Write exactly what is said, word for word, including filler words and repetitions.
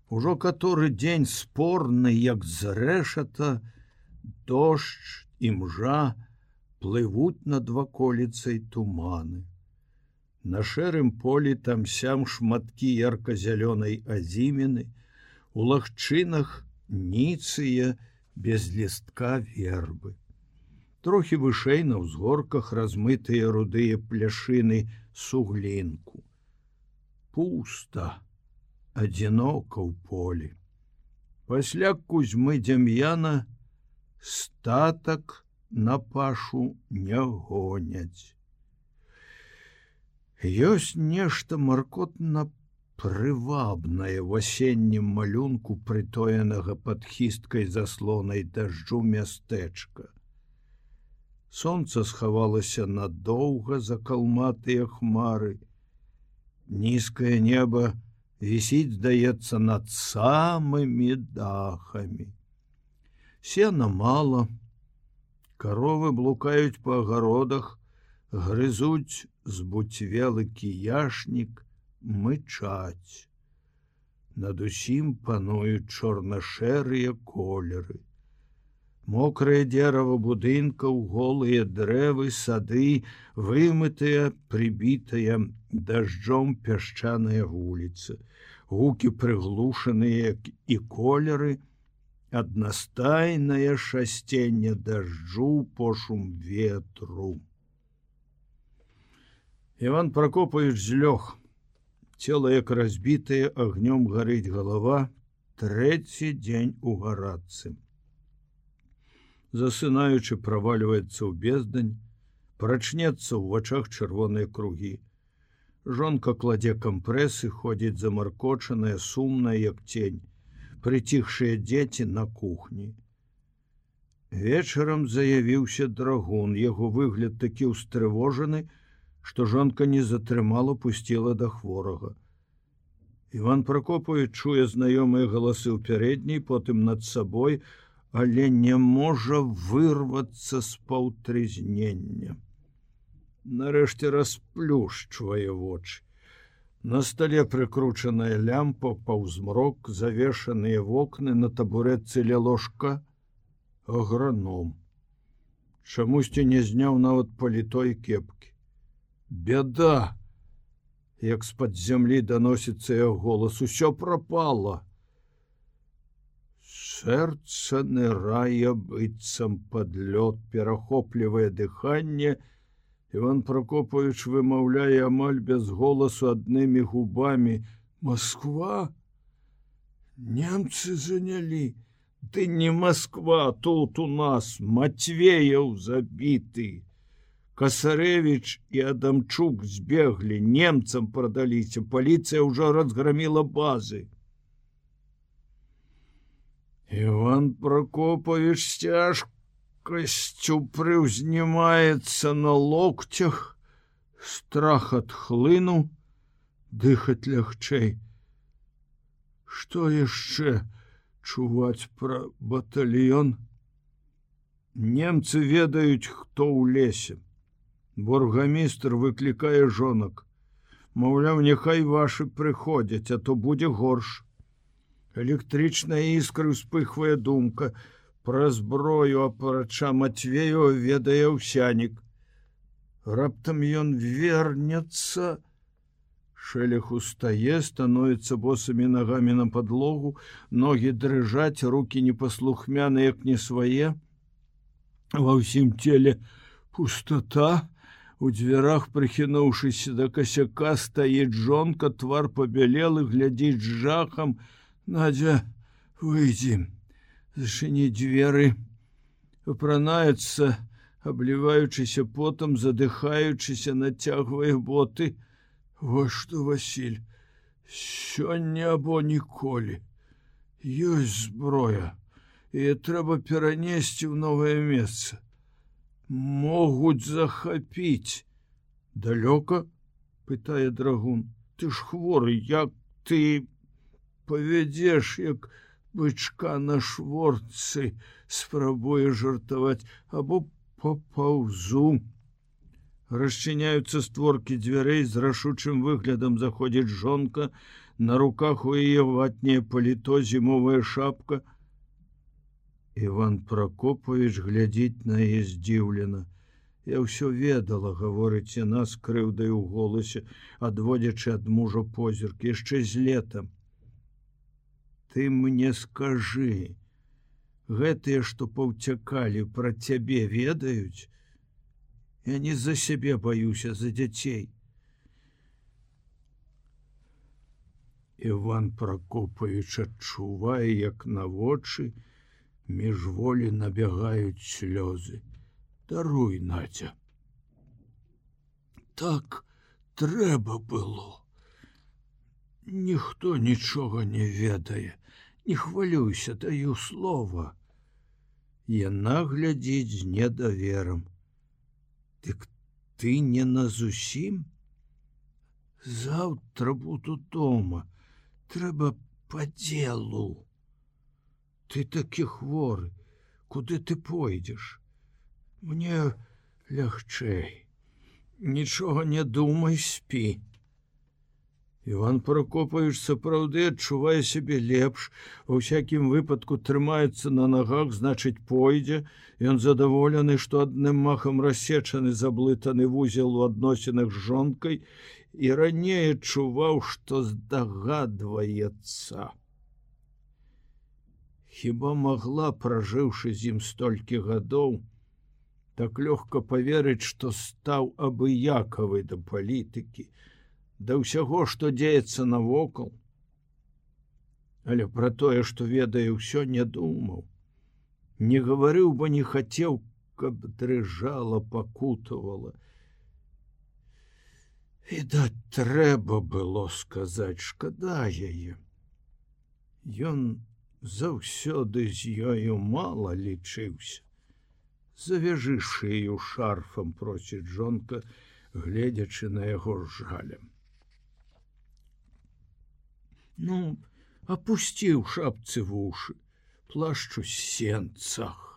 Ужо каторы дзень спорны, як зрэшата, дождж і мжа плывуць над ваколіцай туманы. На шэрым полі там-сям шматкі ярка-зялёнай азіміны, у лагчынах ніцыя без лістка вербы. Трохі вышэй на ўзгорках размытыя рудыя пляшыны суглінку. Пуста, адзінока ў полі. Пасля Кузьмы Дзям'яна статак на пашу не гоняць. Ёсць нешта маркотна прывабнае ў асеннім малюнку прытоенага пад хісткай заслонай дажджу мястэчка. Сонца схавалася надоўга за калматыя хмары. Нізкае неба вісіць, здаецца, над самымі дахамі. Сена мала, каровы блукаюць па агародах, грызуць збуцвелы кіяшнік, мычаць. Над усім пануюць чорна-шэрыя колеры. Мокрае дзерава будынкаў, голыя дрэвы, сады, вымытыя, прыбітыя дажджом пясчаныя вуліцы. Гукі прыглушаныя і колеры, аднастайнае шасценне дажджу, пошум ветру. Іван Пракопавіч злёг. Цела, як разбітае, агнём гарыць галава, трэці дзень у гарадцы. Засынаючы, правальваецца ў бездань, прачнецца ў вачах чырвоныя кругі. Жонка кладзе кампрэсы, ходзіць замаркочаная, сумная, як цень. Прыціхшыя дзеці на кухні. Вечарам заявіўся драгун. Яго выгляд такі ўстрывожаны, што жонка не затрымала, пусціла да хворага. Іван Пракопавіч чуе знаёмыя галасы ў пярэдняй, потым над сабой, але не можа вырвацца з паўтрызнення. Нарэшце расплюшчвае вочы. На стале прыкручаная лямпа, паўзмрок, завешаныя вокны, на табурэтцы ля ложка аграном. Чамусьці не зняў нават паліто і кепкі. Бяда! Як з-пад зямлі даносіцца яго голас, усё прапала. Сэрца нырае быццам пад лёд, перахоплівае дыханне. Іван Пракопавіч вымаўляе амаль без голасу аднымі губамі: Москва? Немцы занялі. Ды не Москва, тут у нас Матвеяў забіты. Касарэвіч і Адамчук збеглі, немцам прадаліся, паліцыя ўжо разграміла базы. Іван Пракопавіч з цяжкасцю прыўзнімаецца на локцях, страх адхлынуў, дыхаць лягчэй. Што яшчэ чуваць пра батальён? Немцы ведаюць, хто ў лесе. Бургамістр выклікае жонак. Маўляў, няхай вашы прыходзяць, а то будзе горш. Электрычная іскра ўспыхвае думка. Пра зброю апарача Матвеева ведае Аўсянік. Раптам ён вернецца. Шэлех устае, становіцца босымі нагамі на падлогу, ногі дрыжаць, рукі непаслухмяны, як не свае. Ва ўсім целе пустата. У дзвярах, прыхінуўшыся да касяка, стаіць жонка, твар пабялелы, глядзіць з жахам. Надзя, выйдзі, зачыні дзверы. Апранаецца, абліваючыся потам, задыхаючыся, нацягвае боты. Вось што, Васіль, сёння або ніколі. Ёсць зброя, і трэба перанесці ў новае месца. Могуць захапіць. Далёка? Пытае драгун. Ты ж хворы, як ты павядзеш, як бычка на шворцы, спрабуе жартаваць, або папаўзу. Расчыняюцца створкі дзвярэй, з рашучым выглядам заходзіць жонка, На руках у яе ватняе паліто, зімовая шапка. Іван Пракопавіч глядзіць на яе здзіўлена. Я ўсё ведала, гаворыць яна з крыўдай у голасе, адводзячы ад мужа позірк, яшчэ з лета. Ты мне скажы, гэтыя, што паўцякалі, пра цябе ведаюць? Я не за сябе баюся, за дзяцей. Іван Пракопавіч адчувае, як на вочы міжволі набягаюць слёзы. Даруй, Надзя. Так трэба было. Ніхто нічога не ведае. Не хвалюйся, даю слова. Яна глядзіць з недаверам. Дык ты не назусім? Заўтра буду дома. Трэба па дзелу. Ты такі хворы. Куды ты пойдзеш? Мне лягчэй. Нічога не думай, спі. Іван Пракопавіч сапраўды адчувае сябе лепш, ва ўсякім выпадку трымаецца на нагах, значыць, пойдзе. Ён задаволены, што адным махам рассечаны заблытаны вузел у адносінах з жонкай і раней адчуваў, што здагадваецца. Хіба магла, пражыўшы з ім столькі гадоў, так лёгка паверыць, што стаў абыякавы да палітыкі, да ўсяго, што дзеецца навокал. Але пра тое, што ведае, ўсё не думаў. Не гаварыў, бо не хацеў, каб дрыжала, пакутавала. Відаць, трэба было сказаць, шкада яе. Ён заўсёды з ёю мала лічыўся. Завяжы шыю шарфам, просіць жонка, гледзячы на яго з жалем. Ну, апусці ў шапцы вушы, плашчу сенцах.